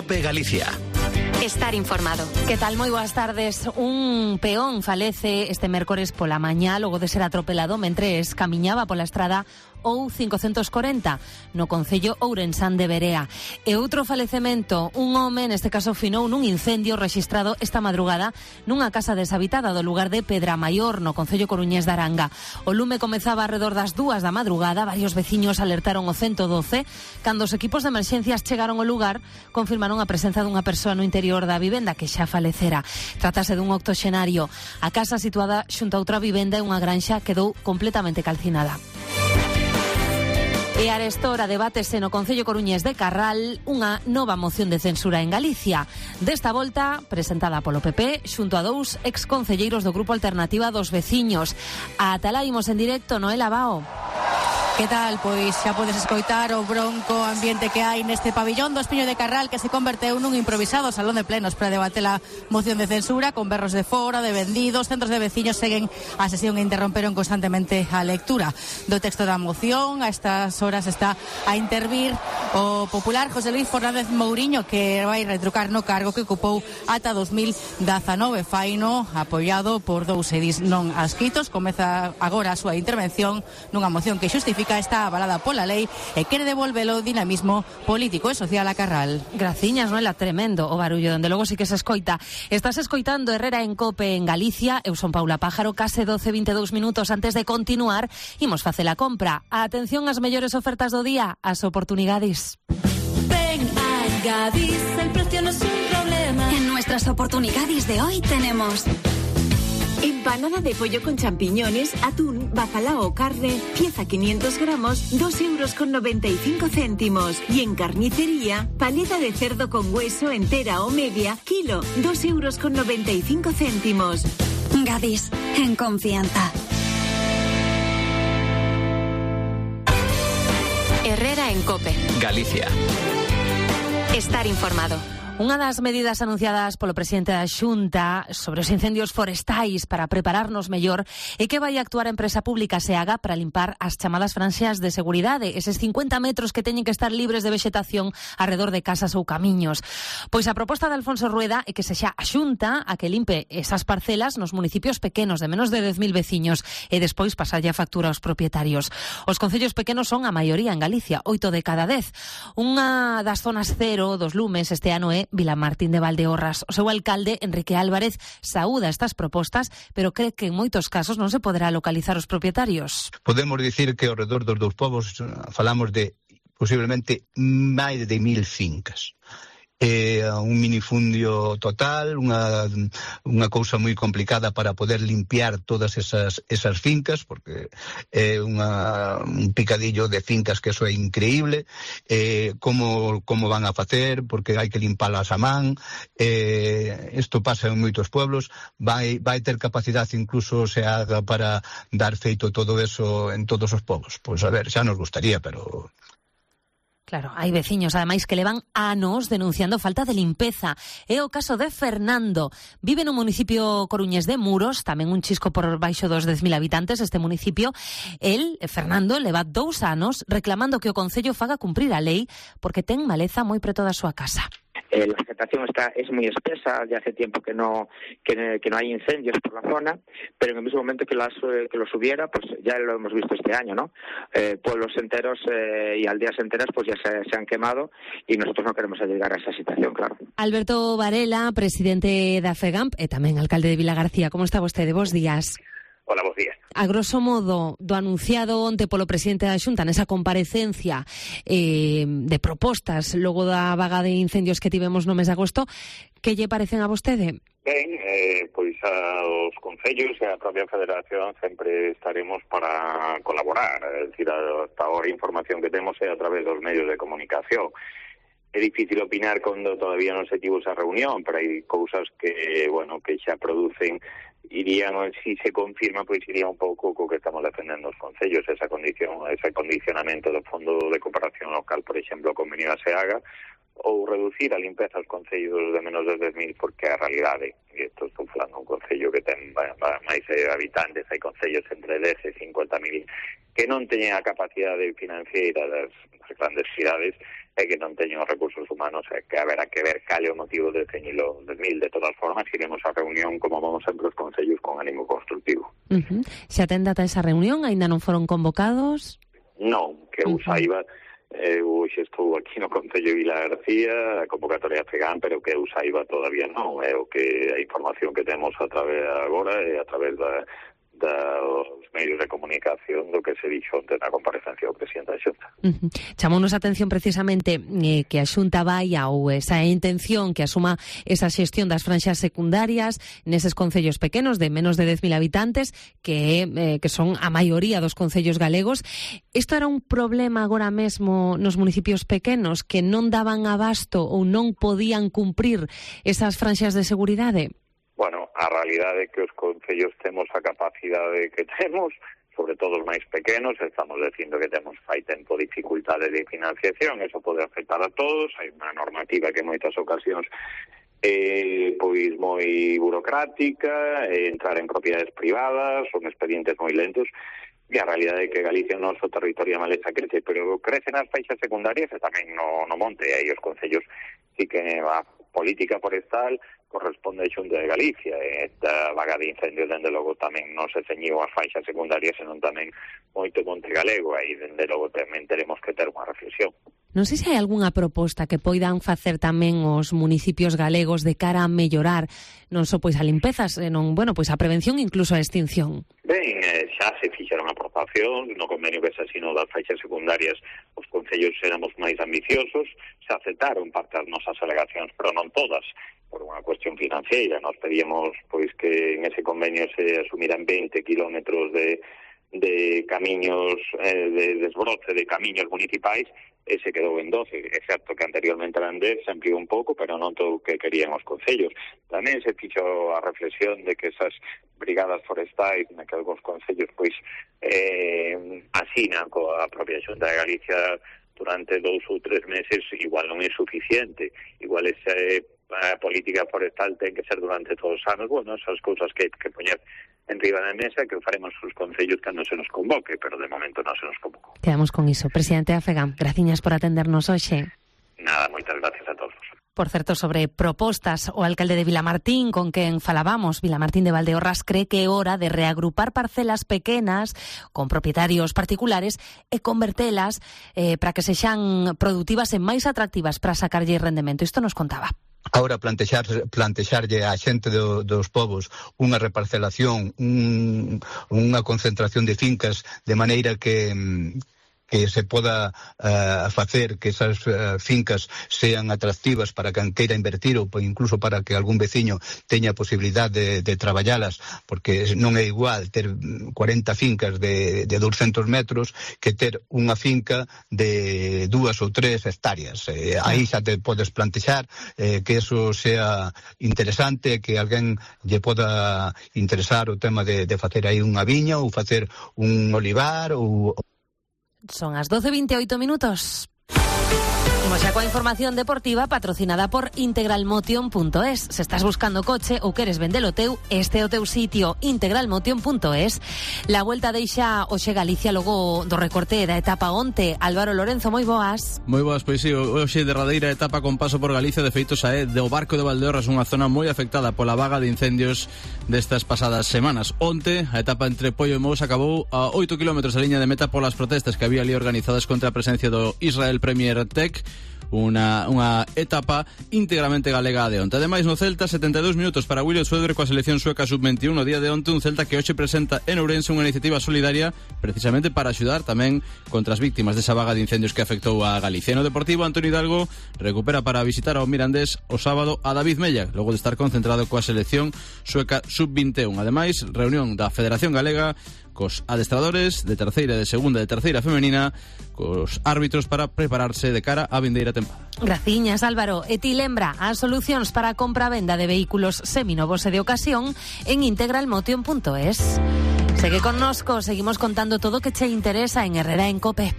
COPE Galicia. Estar informado. Que tal? Moi boas tardes. Un peón falece este mércores pola mañá logo de ser atropelado mentres camiñaba pola estrada ou 540 no concello ourensán de Berea. E outro falecemento, un home, neste caso finou nun incendio rexistrado esta madrugada nunha casa deshabitada do lugar de Pedramaior, no concello coruñés de Aranga. O lume comezaba arredor das 2 da madrugada, varios veciños alertaron o 112, cando os equipos de emerxencias chegaron ao lugar, confirmaron a presenza dunha persoa no interior da vivenda que xa falecera. Trátase dun octoxenario. A casa situada xunto a outra vivenda e unha granxa quedou completamente calcinada. E arestora debátese no Concello Coruñés de Carral unha nova moción de censura en Galicia. Desta volta, presentada polo PP, xunto a 2 exconcelleiros do Grupo Alternativa dos Veciños. A Atalaimos en directo, Noela Bao. Que tal? Pois xa podes escoitar o bronco ambiente que hai neste pabillón do Espiño de Carral, que se converteu nun improvisado salón de plenos para debater a moción de censura, con berros de fora, de vendidos. Centros de veciños seguen a sesión e interromperon constantemente a lectura do texto da moción. A estas horas está a intervir o popular José Luis Fernández Mouriño, que vai retrucar no cargo que ocupou ata 2019. Faino apoiado por 2 edis non adscritos. Comeza agora a súa intervención nunha moción que xustifica está avalada pola lei e quere devolvelo o dinamismo político e social a Carral. Graciñas, non é tremendo o barullo, donde logo sí que se escoita. Estás escoitando Herrera en COPE en Galicia. Eu son Paula Pájaro. Case 12:22 minutos antes de continuar, imos facer a compra. Atención ás mellores ofertas do día, as oportunidades. Ven a Gadis, el precio no es un problema. En nuestras oportunidades de hoy tenemos empanada de pollo con champiñones, atún, bacalao o carne, pieza 500 gramos, 2,95 €. Y en carnicería, paleta de cerdo con hueso entera o media, kilo, 2,95 €. Gadis, en confianza. Herrera en COPE Galicia. Estar informado. Unha das medidas anunciadas polo presidente da Xunta sobre os incendios forestais para prepararnos mellor é que vai actuar a empresa pública SEAGA para limpar as chamadas franxas de seguridade, eses 50 metros que teñen que estar libres de vexetación arredor de casas ou camiños. Pois a proposta de Alfonso Rueda é que sexa a Xunta a que limpe esas parcelas nos municipios pequenos de menos de 10.000 veciños e despois pasalle a factura aos propietarios. Os concellos pequenos son a maioría en Galicia, 8 de cada 10. Unha das zonas cero dos lumes este ano é Vilamartín de Valdeorras. O seu alcalde, Enrique Álvarez, saúda estas propostas, pero cree que en moitos casos non se poderá localizar os propietarios. Podemos dicir que ao redor dos dous povos falamos de posiblemente máis de 1.000 fincas. Un minifundio total, unha cousa moi complicada para poder limpiar todas esas fincas, porque é un picadillo de fincas que eso é increíble. Como van a facer, porque hai que limpalas a man. Isto pasa en moitos pueblos. Vai ter capacidade incluso se haga para dar feito todo eso en todos os povos. Pois a ver, xa nos gustaría, pero... Claro, hai veciños, ademais, que levan anos denunciando falta de limpeza. É o caso de Fernando. Vive no municipio coruñés de Muros, tamén un chisco por baixo dos 10.000 habitantes este municipio. Fernando, leva 2 anos reclamando que o Concello faga cumprir a lei porque ten maleza moi preto da súa casa. La vegetación es muy espesa, ya hace tiempo que no hay incendios por la zona, pero en el mismo momento que los hubiera, pues ya lo hemos visto este año, ¿no? Pueblos enteros y aldeas enteras pues ya se han quemado y nosotros no queremos llegar a esa situación, claro. Alberto Varela, presidente da FEGAMP e tamén alcalde de Vilagarcía. Como está vostede? Bos días. Hola, bos días. A grosso modo, do anunciado onte polo presidente da Xunta nesa comparecencia de propostas logo da vaga de incendios que tivemos no mes de agosto, que lle parecen a vostede? Ben, pois aos concellos e a propia Federación sempre estaremos para colaborar. É dicir, hasta ahora a información que temos é a través dos medios de comunicación. É difícil opinar cando todavía non se tivo esa reunión, pero hai cousas que xa producen, irían, si se confirma, pois iría un pouco co que estamos defendendo os concellos, ese condicionamento do Fondo de Cooperación Local, por exemplo, o convenio da SEAGA, ou reducir a limpeza aos concellos de menos de 10.000, porque a realidade, e isto estou falando un concello que ten máis habitantes, hai concellos entre 10 e 50.000 que non teñen a capacidade financiera das grandes cidades e que non teñen os recursos humanos, e que haberá que ver cal é o motivo de teñilo 10.000. De todas formas, iremos a reunión, como vamos sempre os concellos, con ánimo constructivo. Se atende ata esa reunión, aínda non foron convocados? Non, que eu saiba, eu estou aquí no Concello de Vila García, a convocatoria FEGAM, pero que eu saiba todavía non. É o que a información que temos a través agora e a través dos medios de comunicación do que se dixo onte na comparecencia do presidente da Xunta. Chamounos a atención precisamente que a Xunta vai ou esa intención que asuma esa xestión das franxas secundarias neses concellos pequenos de menos de 10.000 habitantes que son a maioría dos concellos galegos. Isto era un problema agora mesmo nos municipios pequenos que non daban abasto ou non podían cumprir esas franxas de seguridade? Bueno, a realidade é que os concellos temos a capacidade que temos, sobre todo os máis pequenos, estamos dicindo que temos fai tempo dificultade de financiación, eso pode afectar a todos, hai unha normativa que en moitas ocasións pois moi burocrática, entrar en propiedades privadas, son expedientes moi lentos, e a realidade é que Galicia é o noso territorio maleza crece, pero crece nas faixas secundarias e tamén no monte, e aí os concellos sí que a política forestal corresponde a Xunta de Galicia, e esta vaga de incendios dende logo tamén non se ceñiu as faixas secundarias, senón tamén moito monte galego, e dende logo tamén teremos que ter unha reflexión. Non sei se hai algunha proposta que poidan facer tamén os municipios galegos de cara a mellorar non só pois a limpeza, senón, pois a prevención, incluso a extinción. Ben, xa se fixeron aportacións no convenio que se asinou das faixas secundarias, os concellos éramos máis ambiciosos, se aceptaron parte das nosas alegacións, pero non todas, por unha cuestión financiera. Nos pedíamos pois que en ese convenio se asumiran 20 kilómetros de camiños, de desbroce de camiños municipais, e se quedou en 12. É certo que anteriormente eran 10, se ampliou un pouco, pero non todo o que querían os concellos. Tamén se fixo a reflexión de que esas brigadas forestais, na que algúns concellos pois asinan coa propia Xunta de Galicia durante 2 ou 3 meses, igual non é suficiente. Igual esa política forestal ten que ser durante todos os anos. Bueno, esas cousas que poñer enriba da mesa, que faremos os concellos cando se nos convoque, pero de momento non se nos convocou. Quedamos con iso. Presidente da FEGAM, graciñas por atendernos hoxe. Nada, moitas gracias a todos. Por certo, sobre propostas, o alcalde de Vilamartín, con quen falábamos, Vilamartín de Valdeorras, cree que é hora de reagrupar parcelas pequenas con propietarios particulares e convertelas para que sexan produtivas e máis atractivas para sacarlle rendemento. Isto nos contaba. Ahora plantexarlle á xente dos povos unha reparcelación, unha concentración de fincas de maneira que se poda facer que esas fincas sean atractivas para quen queira invertir ou incluso para que algún veciño teña a posibilidade de traballalas, porque non é igual ter 40 fincas de 200 metros que ter unha finca de 2 ou 3 hectáreas. Aí xa te podes plantexar que eso sea interesante, que alguén lle poda interesar o tema de facer aí unha viña ou facer un olivar ou... Son as 12:28 minutos. Como xa coa información deportiva patrocinada por integralmotion.es. Se estás buscando coche ou queres vendelo teu, este é o teu sitio, integralmotion.es. La Vuelta deixa hoxe Galicia logo do recorte da etapa onte. Álvaro Lorenzo, moi boas. Moi boas, pois si, hoxe derradeira etapa con paso por Galicia, de feito xa é do Barco de Valdeorras, unha zona moi afectada pola vaga de incendios destas pasadas semanas. Onte, a etapa entre Poio e Mous acabou a 8 km a liña de meta polas protestas que había ali organizadas contra a presencia do Israel Premier Tech. Unha etapa íntegramente galega de onte. Ademais, no Celta, 72 minutos para William Suedre coa selección sueca sub-21 no día de onte, un Celta que hoxe presenta en Ourense unha iniciativa solidaria precisamente para axudar tamén contra as víctimas desa vaga de incendios que afectou a Galicia. No Deportivo, Antonio Hidalgo recupera para visitar ao Mirandés o sábado a David Mella, logo de estar concentrado coa selección sueca sub-21. Ademais, reunión da Federación Galega cos adestradores de terceira, de segunda, de terceira femenina, cos árbitros para prepararse de cara á vindeira tempada. Graciñas, Álvaro. E ti lembra as solucións para a compra-venda de vehículos seminovos e de ocasión en integralmotion.es. Segue connosco, seguimos contando todo o que che interesa en Herrera en Cope.